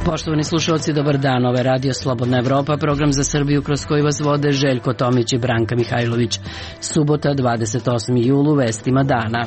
Poštovani slušalci, dobar dan. Ovo je Radio Slobodna Evropa, program za Srbiju kroz koji vas vode Željko Tomić i Branka Mihajlović. Subota, 28. julu, vestima dana.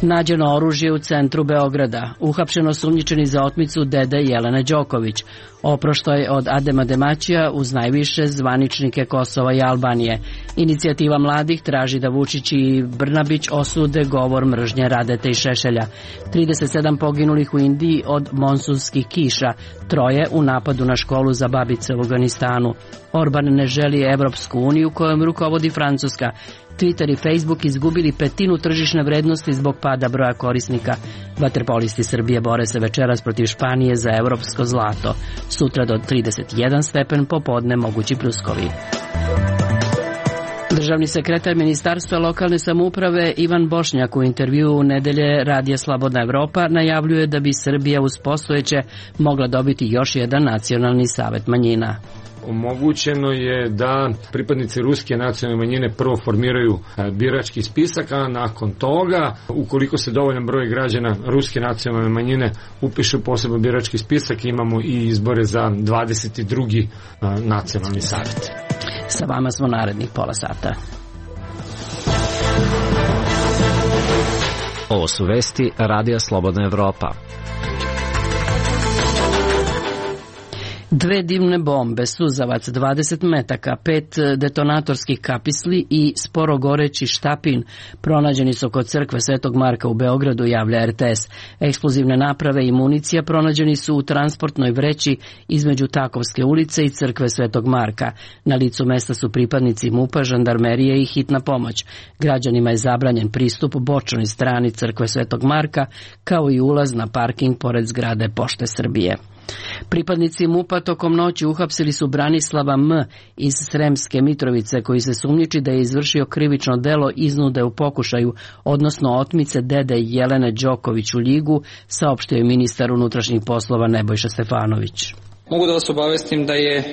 Nađeno oružje u centru Beograda. Uhapšeno osumnjičeni za otmicu dede Jelene Đoković. Oproštaj od Adema Demaćija uz najviše zvaničnike Kosova i Albanije. Inicijativa mladih traži da Vučić i Brnabić osude govor mržnje Radete i Šešelja. 37 poginulih u Indiji od monsunskih kiša. 3 u napadu na školu za babice u Afganistanu. Orban ne želi Evropsku uniju kojom rukovodi Francuska. Twitter i Facebook izgubili 1/5 tržišne vrednosti zbog pada broja korisnika. Vaterpolisti Srbije bore se večeras protiv Španije za evropsko zlato. Sutra do 31 stepen, popodne mogući pljuskovi. Državni sekretar Ministarstva lokalne samouprave Ivan Bošnjak u intervjuu u nedelje Radija Slobodna Evropa najavljuje da bi Srbija uz postojeće mogla dobiti još jedan nacionalni savet manjina. Omogućeno je da pripadnici ruske nacionalne manjine prvo formiraju birački spisak, a nakon toga, ukoliko se dovoljan broj građana ruske nacionalne manjine upiše u poseban birački spisak, imamo i izbore za 22. nacionalni savjet. Sa vama smo narednih pola sata. Ovo su vesti Radija Slobodna Evropa. 2 dimne bombe, suzavac, 20 metaka, 5 detonatorskih kapisli i sporo goreći štapin pronađeni su kod crkve Svetog Marka u Beogradu, javlja RTS. Eksplozivne naprave i municija pronađeni su u transportnoj vreći između Takovske ulice i crkve Svetog Marka. Na licu mesta su pripadnici MUP-a, žandarmerije i hitna pomoć. Građanima je zabranjen pristup bočnoj strani crkve Svetog Marka, kao i ulaz na parking pored zgrade Pošte Srbije. Pripadnici MUP-a tokom noći uhapsili su Branislava M. iz Sremske Mitrovice, koji se sumnjiči da je izvršio krivično delo iznude u pokušaju, odnosno otmice dede Jelene Đoković u Ljigu, saopštio je ministar unutrašnjih poslova Nebojša Stefanović. Mogu da vas obavestim da je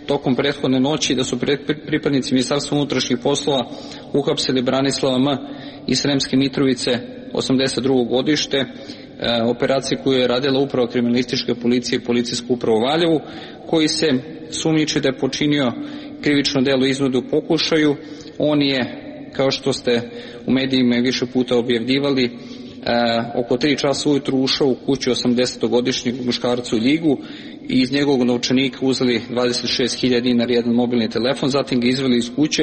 tokom prethodne noći da su pripadnici Ministarstva unutrašnjih poslova uhapsili Branislava M. iz Sremske Mitrovice, 82. godište, operacije koju je radila uprava kriminalističke policije i policijsku upravu Valjevu, koji se sumnjiči da je počinio krivično delo iznude u pokušaju. On je, kao što ste u medijima više puta objavljivali, oko 3 časa ujutru ušao u kuću 80-godišnjeg muškarca u Ljigu i iz njegovog novčanika uzeli 26.000 dinara i jedan mobilni telefon, zatim ga izveli iz kuće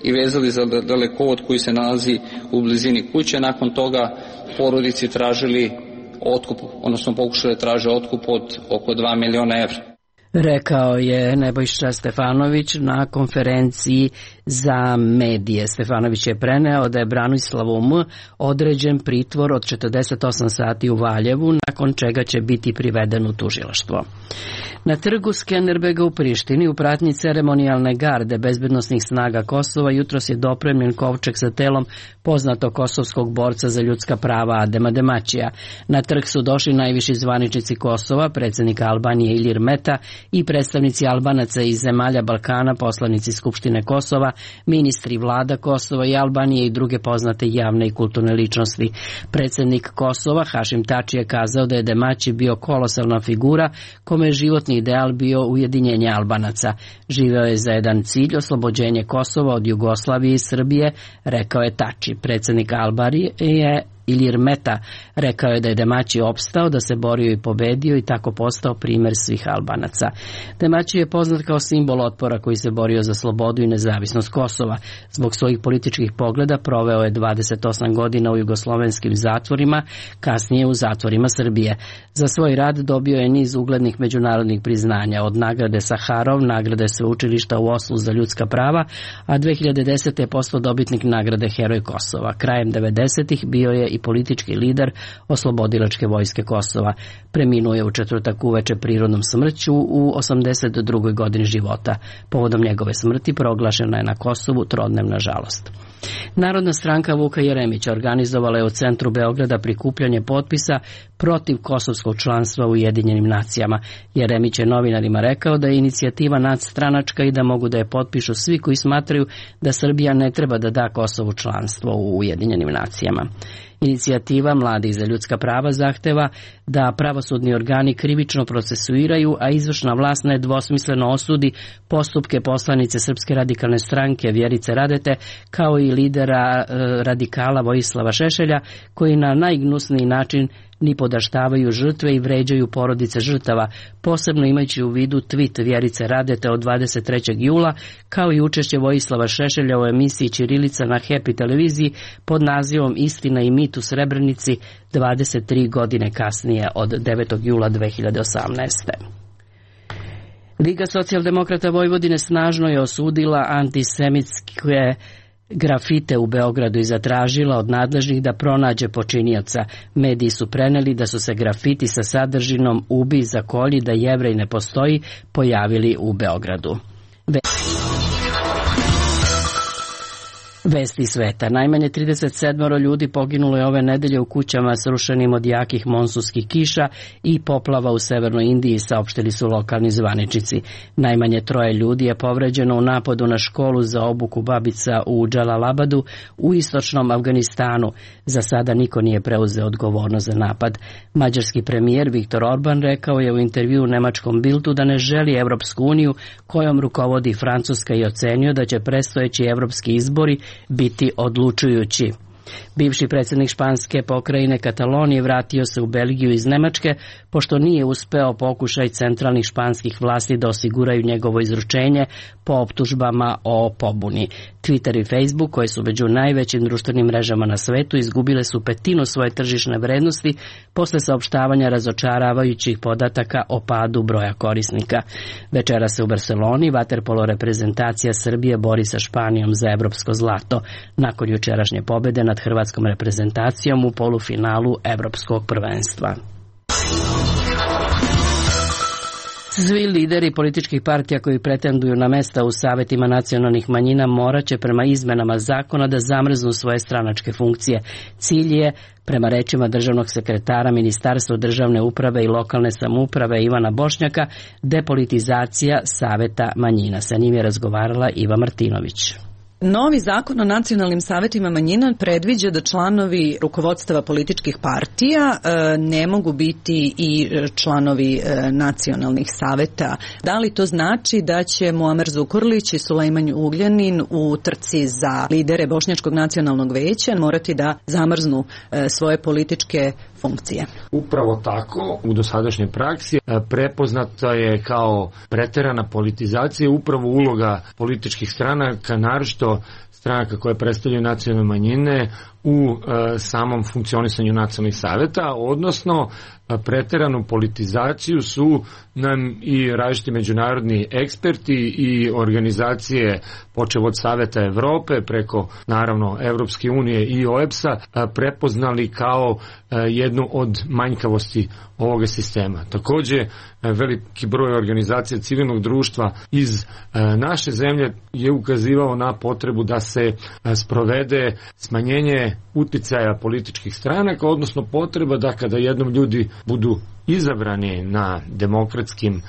i vezali za dalekovod koji se nalazi u blizini kuće. Nakon toga porodici tražili otkup, odnosno pokušali da traže otkup od oko 2 miliona evra. Rekao je Nebojša Stefanović na konferenciji za medije. Stefanović je preneo da je Branislavu M. određen pritvor od 48 sati u Valjevu, nakon čega će biti priveden u tužilaštvo. Na trgu Skenderbega u Prištini u pratnji ceremonijalne garde bezbednosnih snaga Kosova jutros je dopremljen kovčeg sa telom poznatog kosovskog borca za ljudska prava Adema Demaćija. Na trg su došli najviši zvaničnici Kosova, predsjednik Albanije Ilir Meta i predstavnici Albanaca iz zemalja Balkana, poslanici Skupštine Kosova, ministri vlada Kosova i Albanije i druge poznate javne i kulturne ličnosti. Predsjednik Kosova Hašim Tači je kazao da je Demaći bio kolosalna figura kome je životni ideal bio ujedinjenje Albanaca. Živeo je za jedan cilj, oslobođenje Kosova od Jugoslavije i Srbije, rekao je Tači. Predsjednik Albanije je Ilir Meta rekao je da je Demaći opstao, da se borio i pobedio i tako postao primjer svih Albanaca. Demaći je poznat kao simbol otpora koji se borio za slobodu i nezavisnost Kosova. Zbog svojih političkih pogleda proveo je 28 godina u jugoslovenskim zatvorima, kasnije u zatvorima Srbije. Za svoj rad dobio je niz uglednih međunarodnih priznanja, od nagrade Saharov, nagrade Sveučilišta u Oslu za ljudska prava, a 2010. je postao dobitnik nagrade Heroj Kosova. Krajem 90-ih bio je i politički lider Oslobodilačke vojske Kosova. Preminuo je u četvrtak uveče prirodnom smrću u 82. godini života. Povodom njegove smrti proglašena je na Kosovu trodnevna žalost. Narodna stranka Vuka Jeremića organizovala je u centru Beograda prikupljanje potpisa protiv kosovskog članstva u Ujedinjenim nacijama. Jeremić je novinarima rekao da je inicijativa nadstranačka i da mogu da je potpišu svi koji smatraju da Srbija ne treba da da Kosovu članstvo u Ujedinjenim nacijama. Inicijativa Mladih za ljudska prava zahteva da pravosudni organi krivično procesuiraju, a izvršna vlast nedvosmisleno osudi postupke poslanice Srpske radikalne stranke Vjerice Radete, kao i lidera radikala Vojislava Šešelja, koji na najgnusniji način nipodaštavaju žrtve i vređaju porodice žrtava, posebno imajući u vidu tweet Vjerice Radete od 23. jula, kao i učešće Vojislava Šešelja u emisiji Ćirilica na Happy televiziji pod nazivom Istina i mit u Srebrenici 23 godine kasnije od 9. jula 2018. Liga socijaldemokrata Vojvodine snažno je osudila antisemitske grafite u Beogradu i zatražila od nadležnih da pronađe počinioca. Mediji su preneli da su se grafiti sa sadržinom "Ubi, zakolji, da Jevrej ne postoji" pojavili u Beogradu. Vesti sveta. Najmanje 37 ljudi poginulo je ove nedelje u kućama srušenim od jakih monsunskih kiša i poplava u severnoj Indiji, saopštili su lokalni zvaničnici. Najmanje 3 ljudi je povređeno u napadu na školu za obuku babica u Džalalabadu u istočnom Afganistanu. Za sada niko nije preuzeo odgovornost za napad. Mađarski premijer Viktor Orban rekao je u intervjuu nemačkom Bildu da ne želi Evropsku uniju kojom rukovodi Francuska i ocenio da će predstojeći evropski izbori biti odlučujući. Bivši predsjednik španske pokrajine Katalonije vratio se u Belgiju iz Nemačke, pošto nije uspeo pokušaj centralnih španskih vlasti da osiguraju njegovo izručenje po optužbama o pobuni. Twitter i Facebook, koji su među najvećim društvenim mrežama na svetu, izgubile su 1/5 svoje tržišne vrednosti posle saopštavanja razočaravajućih podataka o padu broja korisnika. Večera se u Barceloni vaterpolo reprezentacija Srbije bori sa Španijom za evropsko zlato, nakon jučerašnje pobede nad hrvatskom reprezentacijom u polufinalu evropskog prvenstva. Svi lideri političkih partija koji pretenduju na mesta u savetima nacionalnih manjina morat će prema izmenama zakona da zamrznu svoje stranačke funkcije. Cilj je, prema rečima državnog sekretara Ministarstva državne uprave i lokalne samouprave Ivana Bošnjaka, depolitizacija saveta manjina. Sa njim je razgovarala Iva Martinović. Novi zakon o nacionalnim savetima manjina predviđa da članovi rukovodstava političkih partija ne mogu biti i članovi nacionalnih saveta. Da li to znači da će Muamer Zukorlić i Sulejman Ugljanin u trci za lidere Bošnjačkog nacionalnog veća morati da zamrznu svoje političke funkcije? Upravo tako, u dosadašnjoj praksi prepoznata je kao preterana politizacija upravo uloga političkih stranaka, naročito stranaka koje predstavljaju nacionalne manjine u samom funkcionisanju nacionalnih saveta, odnosno preteranu politizaciju su nam i različiti međunarodni eksperti i organizacije, počev od Saveta Evrope preko naravno Evropske unije i OEBS-a, prepoznali kao jednu od manjkavosti ovoga sistema. Takođe, veliki broj organizacija civilnog društva iz naše zemlje je ukazivao na potrebu da se sprovede smanjenje uticaja političkih stranaka, odnosno potreba da kada jednom ljudi budu izabrani na demokratskim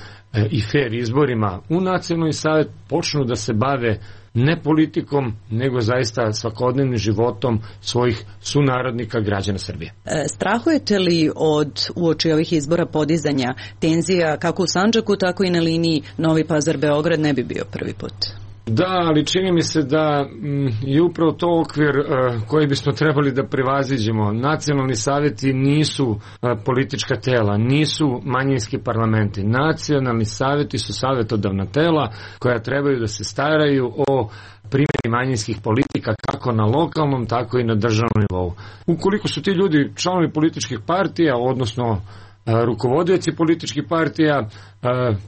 i fair izborima u nacionalni savet, počnu da se bave ne politikom, nego zaista svakodnevnim životom svojih sunarodnika, građana Srbije. Strahujete li od uoči ovih izbora podizanja tenzija kako u Sandžaku, tako i na liniji Novi Pazar-Beograd? Ne bi bio prvi put. Da, ali čini mi se da je upravo to okvir koji bismo trebali da prevaziđemo. Nacionalni saveti nisu politička tela, nisu manjinski parlamenti. Nacionalni saveti su savetodavna tela koja trebaju da se staraju o primjeni manjinskih politika kako na lokalnom, tako i na državnom nivou. Ukoliko su ti ljudi članovi političkih partija, odnosno rukovodioci političkih partija,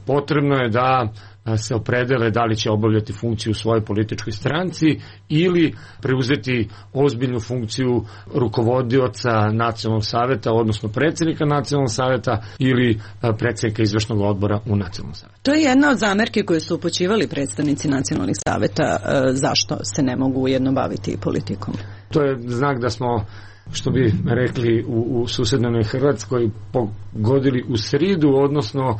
potrebno je da se opredele da li će obavljati funkciju u svojoj političkoj stranci ili preuzeti ozbiljnu funkciju rukovodioca nacionalnog saveta, odnosno predsjednika nacionalnog saveta ili predsjednika izvršnog odbora u nacionalnom savetu. To je jedna od zamerki koje su upućivali predstavnici nacionalnih saveta, zašto se ne mogu ujedno baviti politikom. To je znak da smo, što bi rekli u susednoj Hrvatskoj, pogodili u sridu, odnosno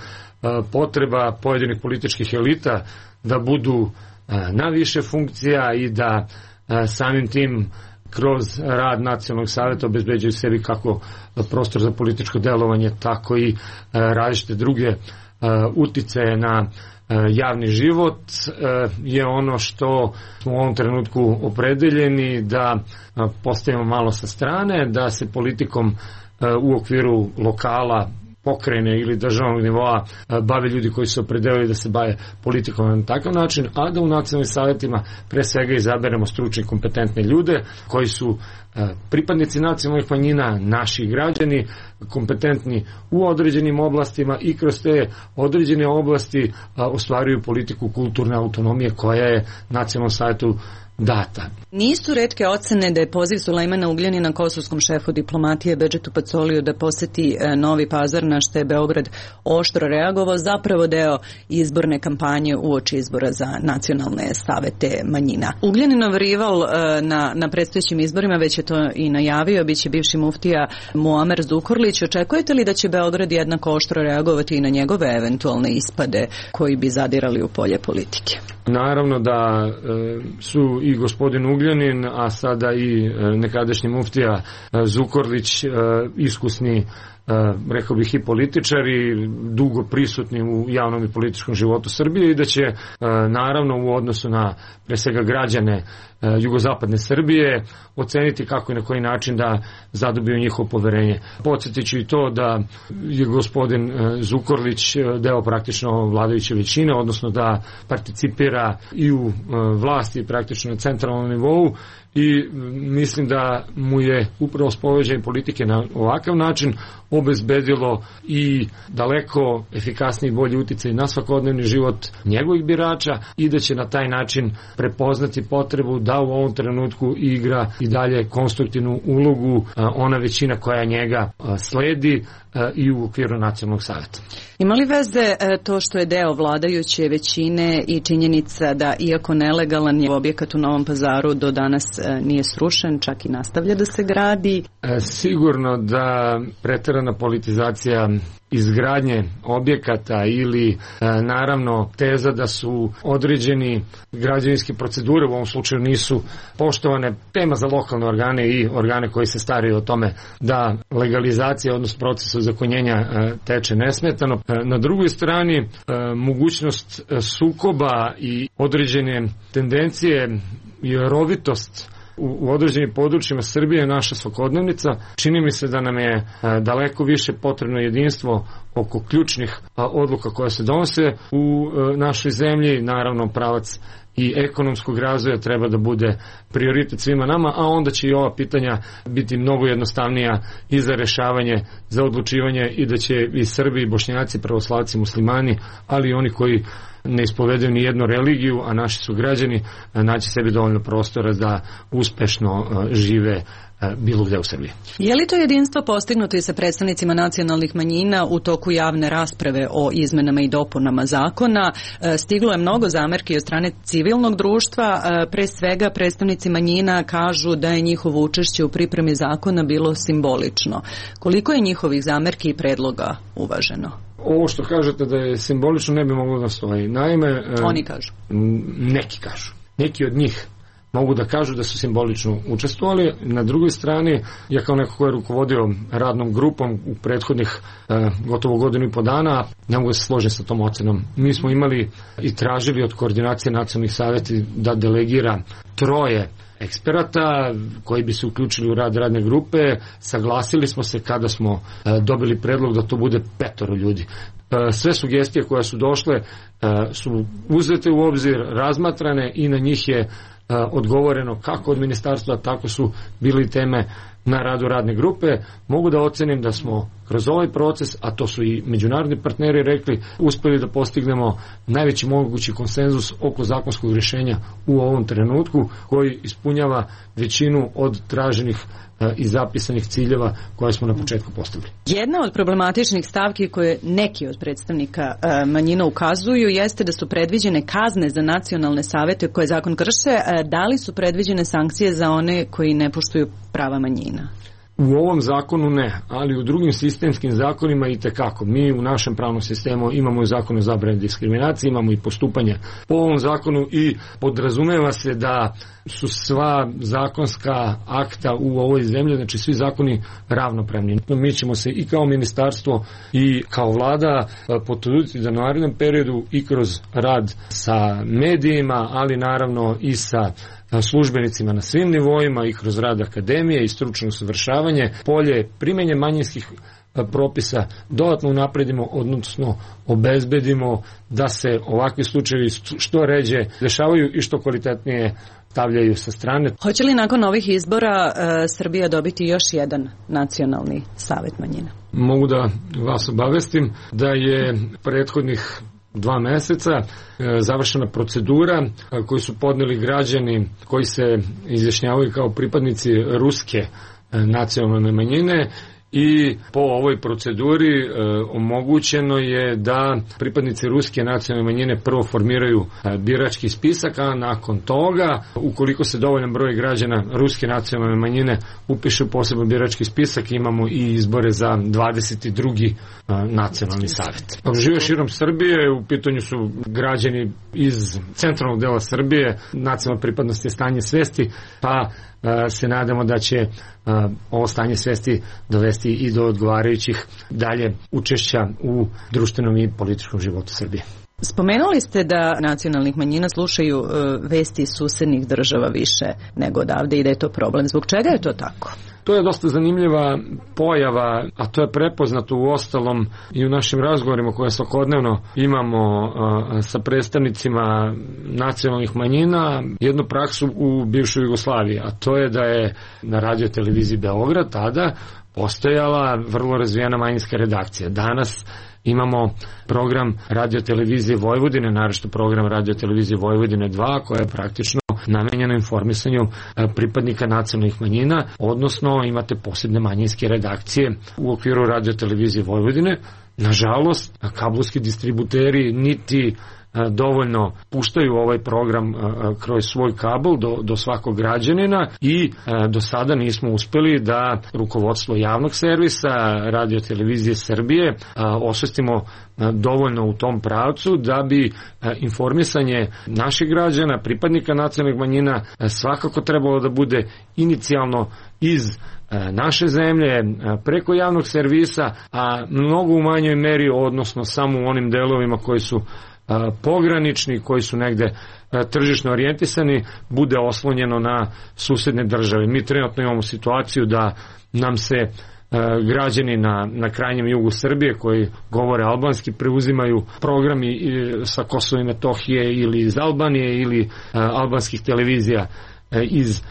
potreba pojedinih političkih elita da budu na više funkcija i da samim tim kroz rad nacionalnog saveta obezbeđuju sebi kako prostor za političko delovanje, tako i različite druge uticaje na javni život, je ono što smo u ovom trenutku opredeljeni da postavimo malo sa strane, da se politikom u okviru lokala, pokrajine ili državnog nivoa bave ljudi koji su opredelili da se bave politikom na takav način, a da u nacionalnim savjetima pre svega izaberemo stručne i kompetentne ljude koji su pripadnici nacionalnih manjina, naši građani, kompetentni u određenim oblastima i kroz te određene oblasti ostvaruju politiku kulturne autonomije koja je nacionalnom savjetu data. Nisu retke ocene da je poziv Sulejmana Ugljanina kosovskom šefu diplomatije Bedžetu Pacoliju da poseti Novi Pazar, na što je Beograd oštro reagovao, zapravo deo izborne kampanje uoči izbora za nacionalne savete manjina. Ugljaninov rival na predstojećim izborima, već je to i najavio, biće bivši muftija Muamer Zukorlić. Očekujete li da će Beograd jednako oštro reagovati i na njegove eventualne ispade koji bi zadirali u polje politike? Naravno da su i gospodin Ugljanin, a sada i nekadašnji muftija Zukorlić iskusni, rekao bih, i političari, dugo prisutni u javnom i političkom životu Srbije i da će naravno u odnosu na pre svega građane jugozapadne Srbije oceniti kako i na koji način da zadobiju njihovo poverenje. Podsjetit ću i to da je gospodin Zukorlić deo praktično vladajuće većine, odnosno da participira i u vlasti praktično na centralnom nivou, i mislim da mu je upravo sprovođenje politike na ovakav način obezbedilo i daleko efikasniji i bolji uticaj na svakodnevni život njegovih birača i da će na taj način prepoznati potrebu da u ovom trenutku igra i dalje konstruktivnu ulogu ona većina koja njega sledi i u okviru nacionalnog saveta. Ima li veze to što je deo vladajuće većine i činjenica da, iako nelegalan, je objekat u Novom Pazaru do danas nije srušen, čak i nastavlja da se gradi? Sigurno da preterana politizacija izgradnje objekata ili naravno teza da su određeni građevinske procedure u ovom slučaju nisu poštovane, tema za lokalne organe i organe koji se staraju o tome da legalizacija, odnosno proces ozakonjenja teče nesmetano. Na drugoj strani mogućnost sukoba i određene tendencije i rovitost u određenim područjima Srbije je naša svakodnevnica. Čini mi se da nam je daleko više potrebno jedinstvo oko ključnih odluka koje se donose u našoj zemlji. Naravno, pravac i ekonomskog razvoja treba da bude prioritet svima nama, a onda će i ova pitanja biti mnogo jednostavnija i za rešavanje, za odlučivanje, i da će i Srbi, i Bošnjaci, pravoslavci, muslimani, ali i oni koji ne ispovedaju ni jednu religiju, a naši su građani, naći sebi dovoljno prostora da uspešno žive bilo gde u Srbiji. Je li to jedinstvo postignuto i sa predstavnicima nacionalnih manjina u toku javne rasprave o izmenama i dopunama zakona? Stiglo je mnogo zamerki od strane civilnog društva, pre svega predstavnici manjina kažu da je njihovo učešće u pripremi zakona bilo simbolično. Koliko je njihovih zamerki i predloga uvaženo? Ovo što kažete da je simbolično ne bi moglo da stoji. Naime, oni kažu. Neki kažu. Neki od njih mogu da kažu da su simbolično učestvovali. Na drugoj strani, ja kao neko ko je rukovodio radnom grupom u prethodnih gotovo godinu i po dana, ne mogu da se složiti sa tom ocenom. Mi smo imali i tražili od koordinacije nacionalnih savjeta da delegira 3 eksperata koji bi se uključili u rad radne grupe. Saglasili smo se kada smo dobili predlog da to bude 5 ljudi. Sve sugestije koje su došle su uzete u obzir, razmatrane i na njih je odgovoreno kako od ministarstva, tako su bili teme na radu radne grupe. Mogu da ocenim da smo kroz ovaj proces, a to su i međunarodni partneri rekli, uspeli da postignemo najveći mogući konsenzus oko zakonskog rješenja u ovom trenutku, koji ispunjava većinu od traženih i zapisanih ciljeva koje smo na početku postavili. Jedna od problematičnih stavki koje neki od predstavnika manjina ukazuju jeste da su predviđene kazne za nacionalne savete koje zakon krše. Da li su predviđene sankcije za one koji ne poštuju prava manjina? U ovom zakonu ne, ali u drugim sistemskim zakonima itekako. Mi u našem pravnom sistemu imamo i zakon o zabrani diskriminacije, imamo i postupanje po ovom zakonu i podrazumeva se da su sva zakonska akta u ovoj zemlji, znači svi zakoni ravnopravni. Mi ćemo se i kao ministarstvo i kao vlada potruditi da u narednom periodu i kroz rad sa medijima, ali naravno i sa službenicima na svim nivoima i kroz rad akademije i stručno usavršavanje, polje primjenje manjinskih propisa dodatno unapredimo, odnosno obezbedimo da se ovakvi slučajevi što ređe dešavaju i što kvalitetnije stavljaju sa strane. Hoće li nakon ovih izbora Srbija dobiti još jedan nacionalni savet manjina? Mogu da vas obavestim da je prethodnih 2 meseca završena procedura koju su podneli građani koji se izjašnjavaju kao pripadnici ruske nacionalne manjine i po ovoj proceduri omogućeno je da pripadnici ruske nacionalne manjine prvo formiraju birački spisak, a nakon toga, ukoliko se dovoljan broj građana ruske nacionalne manjine upiše u poseban birački spisak, imamo i izbore za 22. nacionalni savjet. Žive širom Srbije, u pitanju su građani iz centralnog dela Srbije, nacionalna pripadnost je stanje svesti, pa se nadamo da će ovo stanje svesti dovesti i do odgovarajućih dalje učešća u društvenom i političkom životu Srbije. Spomenuli ste da nacionalnih manjina slušaju vesti iz susednih država više nego odavde i da je to problem. Zbog čega je to tako? To je dosta zanimljiva pojava, a to je prepoznato u ostalom i u našim razgovorima koje svakodnevno imamo sa predstavnicima nacionalnih manjina, jednu praksu u bivšoj Jugoslaviji, a to je da je na radio televiziji Beograd tada postojala vrlo razvijena manjinska redakcija. Danas imamo program radio televizije Vojvodine, naročito program radio televizije Vojvodine 2, koja je praktično namenjeno informisanju pripadnika nacionalnih manjina, odnosno imate posebne manjinske redakcije u okviru radio televizije Vojvodine. Nažalost, kablovski distributeri niti dovoljno puštaju ovaj program kroz svoj kabel do svakog građanina i do sada nismo uspeli da rukovodstvo javnog servisa radio televizije Srbije osvestimo dovoljno u tom pravcu da bi informisanje naših građana, pripadnika nacionalnih manjina svakako trebalo da bude inicijalno iz naše zemlje, preko javnog servisa, a mnogo u manjoj meri, odnosno samo u onim delovima koji su pogranični, koji su negde tržišno orijentisani, bude oslonjeno na susedne države. Mi trenutno imamo situaciju da nam se građani na krajnjem jugu Srbije koji govore albanski preuzimaju programi sa Kosova i Metohije ili iz Albanije ili albanskih televizija iz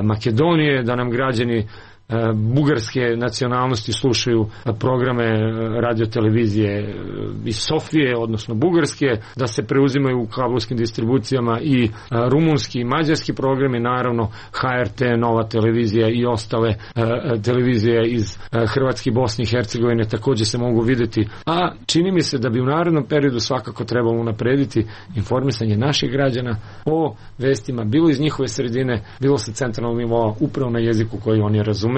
Makedonije, da nam građani bugarske nacionalnosti slušaju programe radio televizije iz Sofije, odnosno bugarske, da se preuzimaju u kablovskim distribucijama i rumunski i mađarski programi, naravno HRT, Nova televizija i ostale televizije iz Hrvatske, Bosne i Hercegovine takođe se mogu videti. A čini mi se da bi u narednom periodu svakako trebalo unaprediti informisanje naših građana o vestima, bilo iz njihove sredine, bilo sa centralnog nivoa, upravo na jeziku koji oni razumeju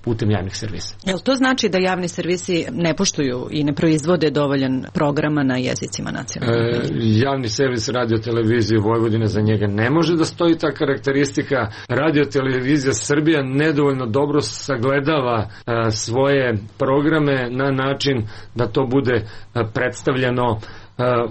putem javnih servisa. Jel to znači da javni servisi ne poštuju i ne proizvode dovoljan programa na jezicima nacionalnih manjina? Javni servis radio televizije Vojvodine, za njega ne može da stoji ta karakteristika. Radio televizija Srbija nedovoljno dobro sagledava svoje programe na način da to bude predstavljeno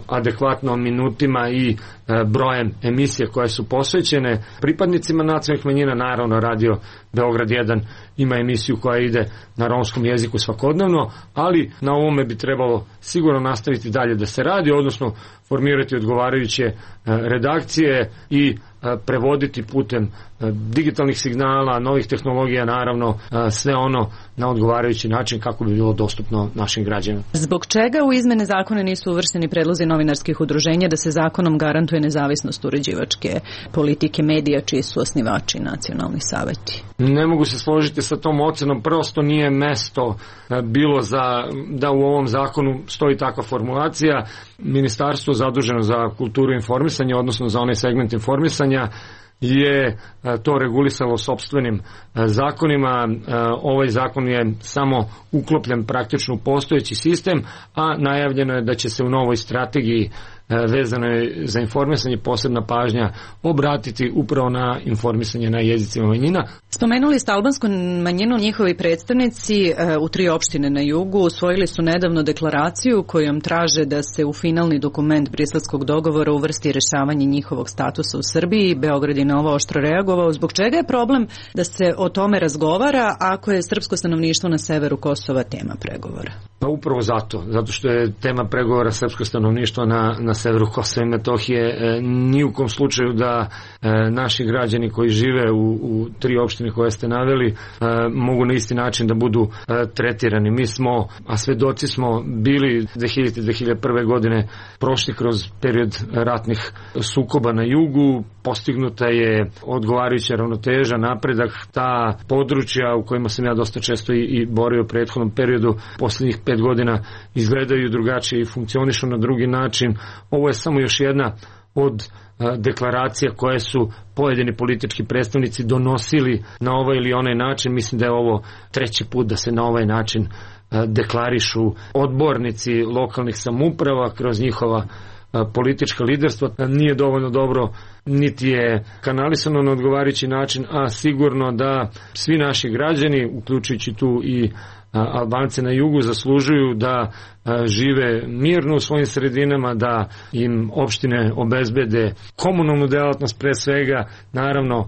adekvatno minutima i brojem emisija koje su posvećene pripadnicima nacionalnih manjina. Naravno, radio Beograd 1 ima emisiju koja ide na romskom jeziku svakodnevno, ali na ovome bi trebalo sigurno nastaviti dalje da se radi, odnosno formirati odgovarajuće redakcije i prevoditi putem digitalnih signala, novih tehnologija, naravno sve ono na odgovarajući način kako bi bilo dostupno našim građanima. Zbog čega u izmene zakona nisu uvršteni predlozi novinarskih udruženja da se zakonom garantuje nezavisnost uređivačke politike medija čiji su osnivači nacionalni saveti? Ne mogu se složiti sa tom ocenom, prosto nije mesto bilo da u ovom zakonu stoji takva formulacija. Ministarstvo zaduženo za kulturu i informisanje, odnosno za onaj segment informisanja, je to regulisalo sopstvenim zakonima. Ovaj zakon je samo uklopljen praktično u postojeći sistem, a najavljeno je da će se u novoj strategiji vezano je za informisanje posebna pažnja obratiti upravo na informisanje na jezicima manjina. Spomenuli ste albansku manjinu, njihovi predstavnici u 3 opštine na jugu usvojili su nedavno deklaraciju kojom traže da se u finalni dokument briselskog dogovora uvrsti rešavanje njihovog statusa u Srbiji. Beograd je na ovo oštro reagovao. Zbog čega je problem da se o tome razgovara ako je srpsko stanovništvo na severu Kosova tema pregovora? Pa upravo zato što je tema pregovora srpsko stanovništvo na severu Kosova i Metohije. Ni u kom slučaju da naši građani koji žive u 3 opštine koje ste naveli mogu na isti način da budu tretirani. Mi smo, a svedoci smo bili 2001. godine prošli kroz period ratnih sukoba na jugu, postignuta je odgovarajuća ravnoteža, napredak. Ta područja u kojima sam ja dosta često i borio u prethodnom periodu, posljednjih 5 godina izgledaju drugačije i funkcionišu na drugi način. Ovo je samo još jedna od deklaracija koje su pojedini politički predstavnici donosili na ovaj ili onaj način. Mislim da je ovo 3. put da se na ovaj način deklarišu odbornici lokalnih samouprava kroz njihova politička liderstva. Nije dovoljno dobro, niti je kanalisano na odgovarajući način, a sigurno da svi naši građani, uključujući tu i Albance na jugu, zaslužuju da žive mirno u svojim sredinama, da im opštine obezbede komunalnu delatnost pre svega, naravno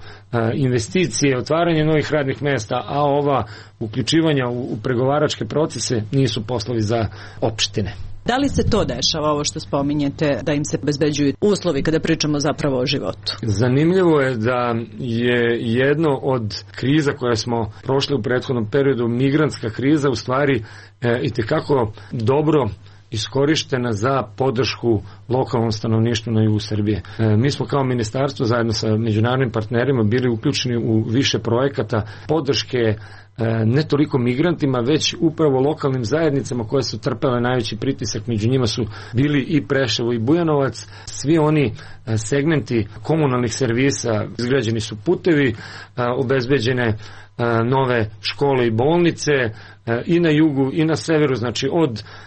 investicije, otvaranje novih radnih mesta, a ova uključivanja u pregovaračke procese nisu poslovi za opštine. Da li se to dešava, ovo što spominjete, da im se obezbeđuju uslovi kada pričamo zapravo o životu? Zanimljivo je da je jedno od kriza koje smo prošli u prethodnom periodu, migrantska kriza, u stvari itekako dobro iskorištena za podršku lokalnom stanovništvu na jugu Srbije. Mi smo kao ministarstvo zajedno sa međunarodnim partnerima bili uključeni u više projekata podrške ne toliko migrantima, već upravo lokalnim zajednicama koje su trpele najveći pritisak. Među njima su bili i Preševo i Bujanovac. Svi oni segmenti komunalnih servisa, izgrađeni su putevi, obezbeđene nove škole i bolnice i na jugu i na severu. Znači,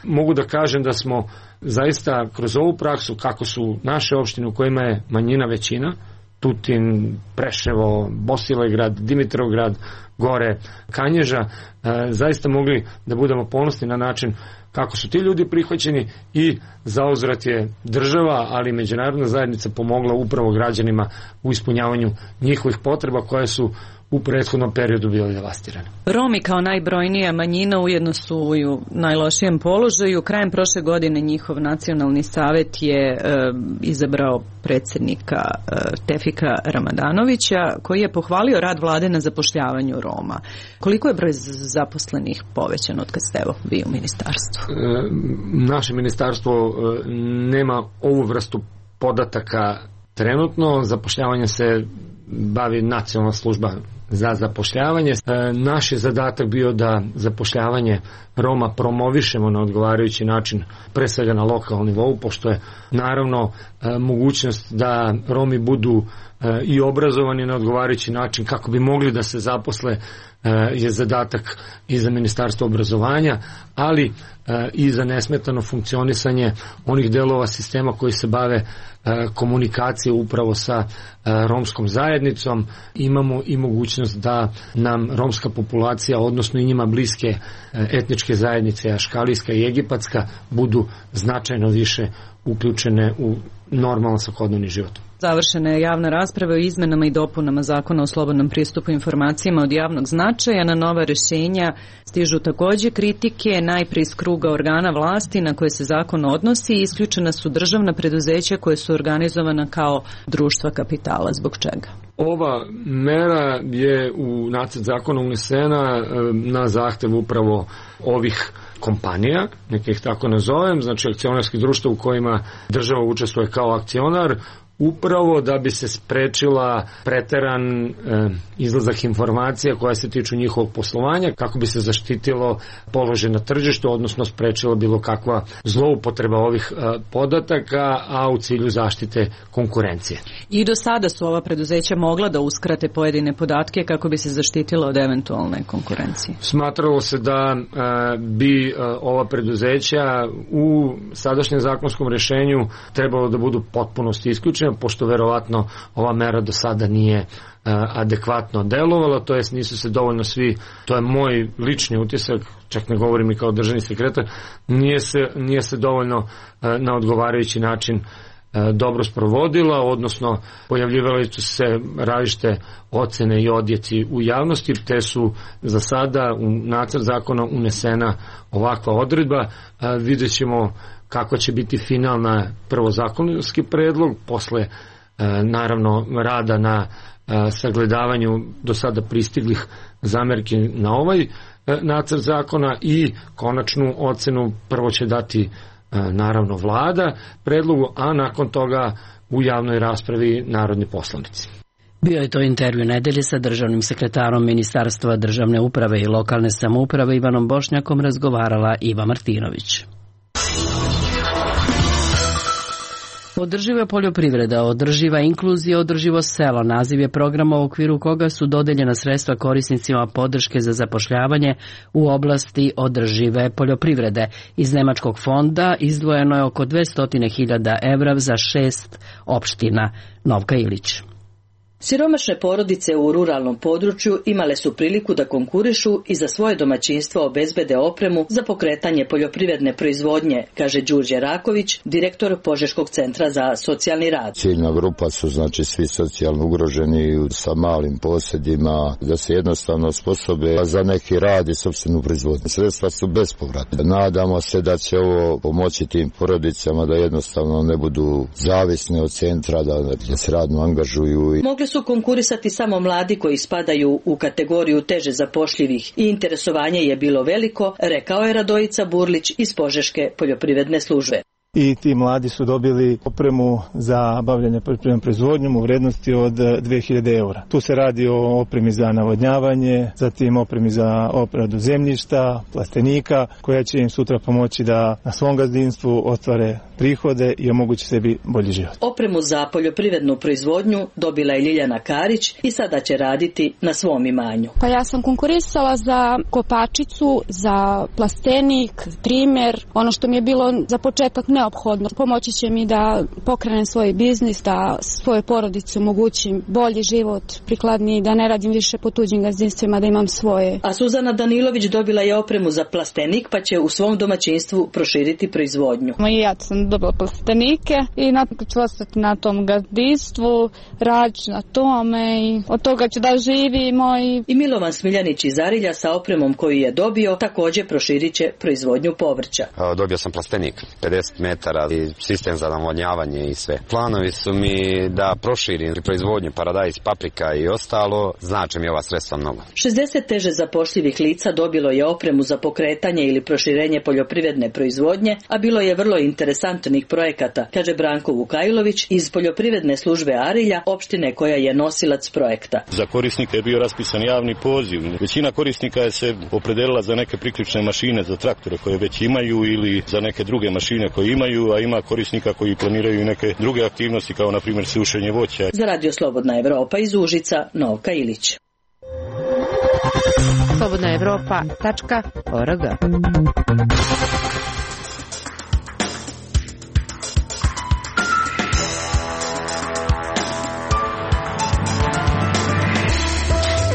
mogu da kažem da smo zaista kroz ovu praksu, kako su naše opštine u kojima je manjina većina, Tutin, Preševo, Bosilegrad, Dimitrovgrad, gore Kanježa, zaista mogli da budemo ponosni na način kako su ti ljudi prihvaćeni i zauzvrat je država, ali i međunarodna zajednica pomogla upravo građanima u ispunjavanju njihovih potreba koje su u prethodnom periodu bile devastirane. Romi kao najbrojnija manjina ujedno su u najlošijem položaju. Krajem prošle godine njihov nacionalni savet je izabrao predsjednika Tefika Ramadanovića, koji je pohvalio rad vlade na zapošljavanju Roma. Koliko je broj zaposlenih povećan od kad ste vi u ministarstvu? Naše ministarstvo nema ovu vrstu podataka trenutno. Zapošljavanje se bavi Nacionalna služba za zapošljavanje. Naš je zadatak bio da zapošljavanje Roma promovišemo na odgovarajući način, pre svega na lokalnom nivou, pošto je naravno mogućnost da Romi budu i obrazovani na odgovarajući način kako bi mogli da se zaposle je zadatak i za Ministarstvo obrazovanja, ali i za nesmetano funkcionisanje onih delova sistema koji se bave komunikacije upravo sa romskom zajednicom. Imamo i mogućnost da nam romska populacija, odnosno i njima bliske etničke zajednice, aškalijska i egipatska, budu značajno više uključene u normalan svakodnevni život. Završena je javna rasprava o izmenama i dopunama Zakona o slobodnom pristupu informacijama od javnog značaja. Na nova rešenja stižu takođe kritike, najprije iz kruga organa vlasti na koje se zakon odnosi. Isključena su državna preduzeća koje su organizovana kao društva kapitala. Zbog čega? Ova mera je u nacrt zakona unesena na zahtev upravo ovih kompanija, neke ih tako nazovem, znači akcionarskih društva u kojima država učestvuje kao akcionar. upravo da bi se sprečila preteran izlazak informacija koja se tiču njihovog poslovanja, kako bi se zaštitilo položaj na tržištu, odnosno sprečila bilo kakva zloupotreba ovih podataka, a u cilju zaštite konkurencije. I do sada su ova preduzeća mogla da uskrate pojedine podatke kako bi se zaštitila od eventualne konkurencije? Smatralo se da bi ova preduzeća u sadašnjem zakonskom rešenju trebalo da budu potpunosti isključene, pošto verovatno ova mera do sada nije adekvatno delovala, to jest nisu se dovoljno svi, to je moj lični utisak, čak ne govorim i kao državni sekretar, nije se dovoljno na odgovarajući način dobro sprovodila, odnosno pojavljivali su se različite ocene i odjeci u javnosti, te su za sada u nacrt zakona unesena ovakva odredba. Vidjet ćemo kako će biti finalna prvo zakonski predlog, posle naravno rada na sagledavanju do sada pristiglih zamerki na ovaj nacrt zakona i konačnu ocenu prvo će dati naravno vlada predlogu, a nakon toga u javnoj raspravi narodni poslanici. Bio je to intervju nedelje sa državnim sekretarom Ministarstva državne uprave i lokalne samouprave Ivanom Bošnjakom, razgovarala Iva Martinović. Održiva poljoprivreda, održiva inkluzija, održivo selo, naziv je programa u okviru koga su dodeljena sredstva korisnicima podrške za zapošljavanje u oblasti održive poljoprivrede. Iz Nemačkog fonda izdvojeno je oko 200.000 evra za 6 opština. Novka Ilić. Siromašne porodice u ruralnom području imale su priliku da konkurišu i za svoje domaćinstvo obezbede opremu za pokretanje poljoprivredne proizvodnje, kaže Đurđe Raković, direktor Požeškog centra za socijalni rad. Ciljna grupa su znači svi socijalno ugroženi sa malim posjedima, da se jednostavno osposobe za neki rad i sopstvenu proizvodnju. Sredstva su bespovratne. Nadamo se da će ovo pomoći tim porodicama da jednostavno ne budu zavisne od centra, da se radno angažuju. Mogli su konkurisati samo mladi koji spadaju u kategoriju teže zapošljivih i interesovanje je bilo veliko, rekao je Radojica Burlić iz Požeške poljoprivredne službe. I ti mladi su dobili opremu za bavljanje poljoprivrednom proizvodnjom u vrednosti od 2000 eura. Tu se radi o opremi za navodnjavanje, zatim opremi za obradu zemljišta, plastenika, koja će im sutra pomoći da na svom gazdinstvu ostvare prihode i omogući sebi bolji život. Opremu za poljoprivrednu proizvodnju dobila je Ljiljana Karić i sada će raditi na svom imanju. Pa ja sam konkurisala za kopačicu, za plastenik, trimer, ono što mi je bilo za početak neophodno. Pomoći će mi da pokrenem svoj biznis, da svoje porodice omogućim bolji život, prikladniji, da ne radim više po tuđim gazdinstvima, da imam svoje. A Suzana Danilović dobila je opremu za plastenik, pa će u svom domaćinstvu proširiti proizvodnju. I ja sam dobila plastenike i nakon ću ostati na tom gazdinstvu, raditi na tome i od toga ću da živimo. I Milovan Smiljanić iz Arilja sa opremom koju je dobio također proširit će proizvodnju povrća. Dobio sam plastenik, 50 metara i sistem za navodnjavanje i sve. Planovi su mi da proširim proizvodnju paradajz, paprika i ostalo, znači mi ova sredstva mnogo. 60 teže zapošljivih lica dobilo je opremu za pokretanje ili proširenje poljoprivredne proizvodnje, a bilo je vrlo interesantnih projekata, kaže Branko Vukajlović iz poljoprivredne službe Arilja, opštine koja je nosilac projekta. Za korisnike je bio raspisan javni poziv. Većina korisnika je se opredelila za neke priključne mašine za traktore koje već imaju ili za neke druge mašine koje imaju, a ima korisnika koji planiraju i neke druge aktivnosti kao na primjer sušenje voća. Za Radio Slobodna Evropa iz Užica, Novka Ilić. slobodnaevropa.org.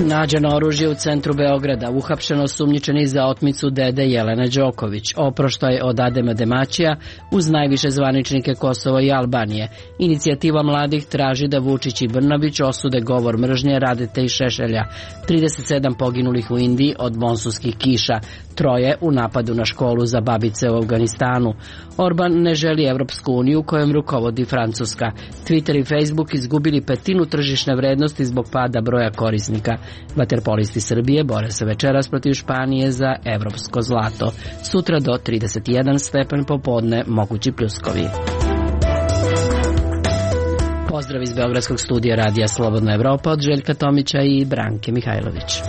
Nađeno oružje u centru Beograda, uhapšeno sumnjičeni za otmicu dede Jelene Đoković, oproštaj od Adema Demaćija uz najviše zvaničnike Kosova i Albanije. Inicijativa mladih traži da Vučić i Brnabić osude govor mržnje Radete i Šešelja. 37 poginulih u Indiji od monsunskih kiša, 3 u napadu na školu za babice u Afganistanu. Orban ne želi Evropsku uniju kojom rukovodi Francuska. Twitter i Facebook izgubili 1/5 tržišne vrednosti zbog pada broja korisnika. Vaterpolisti Srbije bore se večeras protiv Španije za evropsko zlato. Sutra do 31 stepen popodne mogući pljuskovi. Pozdrav iz Beogradskog studija Radija Slobodna Evropa od Željka Tomića i Branke Mihajlović.